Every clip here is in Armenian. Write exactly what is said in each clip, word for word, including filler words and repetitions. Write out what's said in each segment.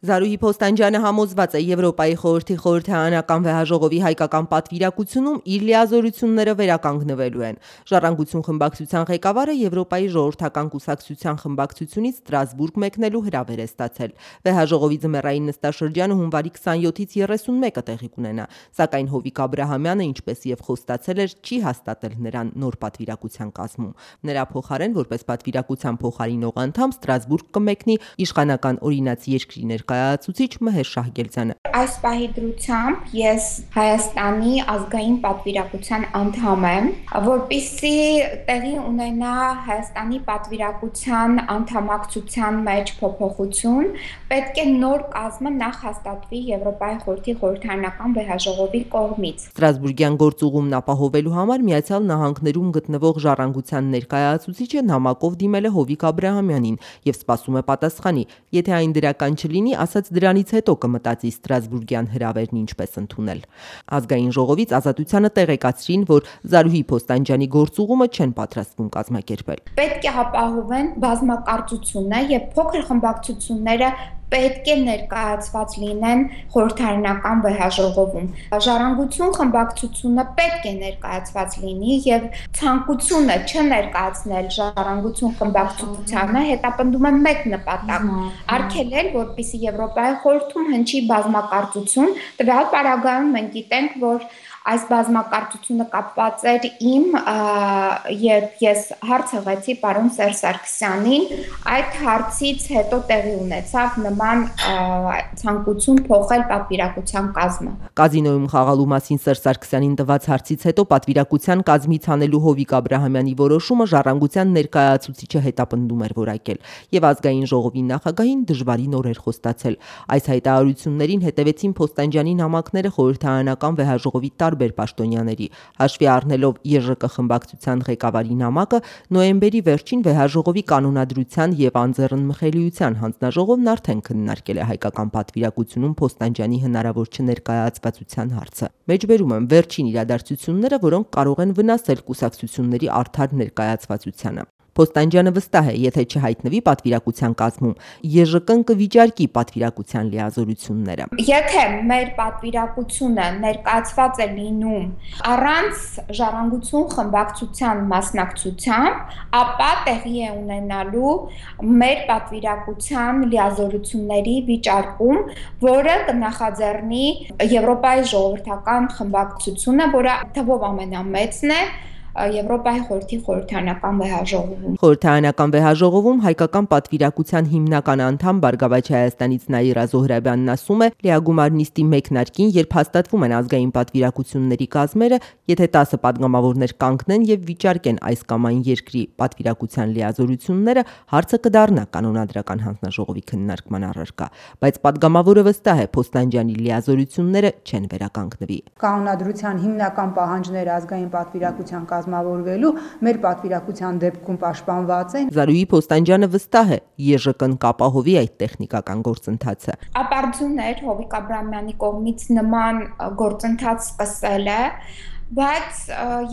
Զարուհի Փոստանջյանը համոզված է Եվրոպայի խորհրդի խորհրդարանական վեհաժողովի հայկական պատվիրակությունում իր լիազորությունները վերականգնվելու են։ Ժառանգություն խմբակցության ղեկավարը Եվրոպայի ժողովրդական կուսակցության խմբակցությունից Ստրասբուրգ մեկնելու հրավեր է ստացել։ Վեհաժողովի ձմեռային նստաշրջանը հունվարի քսաներկուից երեսունմեկը տեղի կունենա, սակայն Հովիկ Աբրահամյանը, ինչպես եւ խոստացել էր, չի հաստատել նրան նոր պատվիրակության կազմում։ Նրա փոխարեն, որպես պատվիրակության փոխարինող անդամ, Ստրասբուրգ կմեկնի իշխանական օրինացի երկրի ներկայացուցիչ Մհեր Շահգերձյանը։ Այս պահի դրությամբ ես Հայաստանի ազգային պատվիրակության անդամ եմ, որպեսզի տեղի ունենա Հայաստանի պատվիրակության անդամակցության մեջ փոփոխություն, պետք է նոր կազմը նախ հաստատվի Եվրոպայի խորհրդի խորհրդարանական վեհաժողովի կողմից։ Ստրասբուրգյան գործուղումն ապահովելու համար Միացյալ Նահանգներում գտնվող ժառանգության ներկայացուցիչը նամակով դիմել է Հովիկ Աբրահամյանին եւ սպասում է պատասխանի։ Եթե այն դրական չլինի, ասաց դրանից հետո կմտածի Ստրասբուրգյան հրավերն ինչպես ընդունել։ Ազգային ժողովից Ազատությանը տեղեկացրին, որ Զարուհի Փոստանջյանի գործուղումը չեն պատրաստվում կազմակերպել։ Պետք է ապահովեն բազմակարծությունը եւ փոքր խմբակցությունները պետք է ներկայացված լինեն խորհրդարանական վեհաժողովում։ Ժառանգություն խմբակցությունը պետք է ներկայացված լինի եւ ցանկությունը չներկայացնել ժառանգություն խմբակցությանը հետապնդում է մեկ նպատակ՝ արգելել, որպեսզի Եվրոպայի խորհրդում հնչի բազմակարծություն։ Տվյալ պարագայում մենք գիտենք, որ այս բազմակարծությունը կապված էր իմ, երբ ես հարց հղեցի պարոն Սերժ Սարգսյանին, այդ հարցից հետո տեղի ունեցավ նման ցանկություն փոխել պատվիրակության կազմը։ Կազինոյում խաղալու մասին Սերժ Սարգսյանին տված հարցից հետո պատվիրակության կազմից հանելու Հովիկ Աբրահամյանի որոշումը ժառանգության ներկայացուցիչը հետապնդում էր որակել եւ ազգային ժողովի նախագահին դժվարին օրեր խոստացել։ Այս հայտարարություններին հետևեցին Փոստանջյանի նամակները խորհրդարանական վեհաժողովի տարբեր պաշտոնյաների, հաշվի առնելով ԵԺԿ խմբակցության ղեկավարի նամակը, նոյեմբերի վերջին վեհաժողովի կանոնադրության եւ անձեռնմխելիության հանձնաժողովն արդեն քննարկել է հայկական պատվիրակությունում Փոստանջյանի հնարավոր չներկայացվածության հարցը։ Մեջբերում են վերջին իրադարձությունները, որոնք կարող են վնասել կուսակցությունների արդար ներկայացվածությանը։ Փոստանջյանը վստահ է, եթե չհայտնվի պատվիրակության կազմում, ԵԺԿ-ն կվիճարկի պատվիրակության լիազորությունները։ Եթե մեր պատվիրակությունը ներկայացված է լինում առանց ժառանգություն խմբակցության մասնակցության, ապա տեղի է ունենալու մեր պատվիրակության լիազորությունների վիճարկում, որը կնախաձեռնի Եվրոպայի ժողովրդական խմբակցությունը, որը թվով ամենամեծն է Եվրոպայի խորհրդի խորհրդարանական վեհաժողովում։ Խորհրդարանական վեհաժողովում հայկական պատվիրակության հիմնական անդամ Բարգավաճ Հայաստանից Նաիրա Զոհրաբյանն ասում է, լիագումար նիստի մեկնարկին, երբ հաստատվում են ազգային պատվիրակությունների կազմերը, եթե տասը պատգամավորներ կանգնեն եւ վիճարկեն այս կամ այն երկրի պատվիրակության լիազորությունները, հարցը կդառնա կանոնադրական հանձնաժողովի քննարկման առարկա, բայց պատգամավորը վստահ է, Փոստանջյանի լիազորությունները չեն վերականգնվի։ Կանոնադրության հիմնական պահանջները ազգային պատվիրակության կազմավորվելու մեր պատվիրակության դեպքում պաշտպանված են։ Զարուհի Փոստանջյանը վստահ է, ԵԺԿ-ն կապահովի այդ տեխնիկական գործընթացը։ Ապարդյուն էր Հովիկ Աբրահամյանի կողմից նման գործընթաց սկսելը, բայց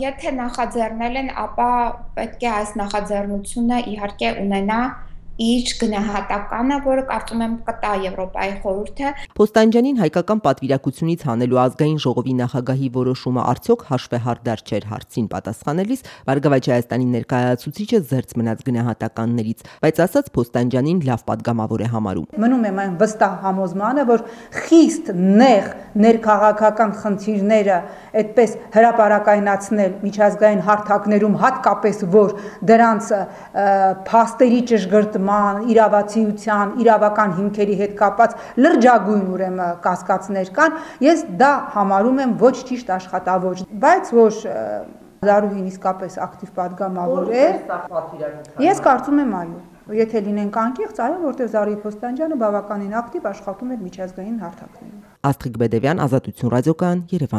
եթե նախաձեռնել են, ապա պետք է այս նախաձեռնությունը իհարկե ունենա իր գնահատականը, որը կարծում եմ կտա Եվրոպայի խորհուրդը։ Փոստանջյանին հայկական պատվիրակությունից հանելու ազգային ժողովի նախագահի որոշումը արդյոք հաշվեհարդար չէր հարցին պատասխանելիս Բարգավաճ Հայաստանի ներկայացուցիչը զերծ մնաց գնահատականներից, բայց ասաց Փոստանջյանին լավ պատգամավոր է համարում։ Մնում եմ այն վստահ համոզմանը, որ խիստ նեղ ներքաղաքական խնդիրները այդպես հրապարակայնացնել միջազգային հարթակներում, հատկապես որ դրանց փաստերի ճշգրտման, իրավացիության, իրավական հիմքերի հետ կապված լրջագույն ուրեմն կասկածներ կան, ես դա համարում եմ ոչ ճիշտ աշխատավոճ, բայց որ Զարուհին իսկապես ակտիվ պատգամավոր է, ես կարծում եմ այո, եթե լինենք անկեղծ, այո, որտեղ Զարուհի Փոստանջյանը բավականին ակտիվ աշխատում էր միջազգային հարթակներում։ Աստղիկ Բեդևյան, Ազատություն ռադիոկայան, Երևան։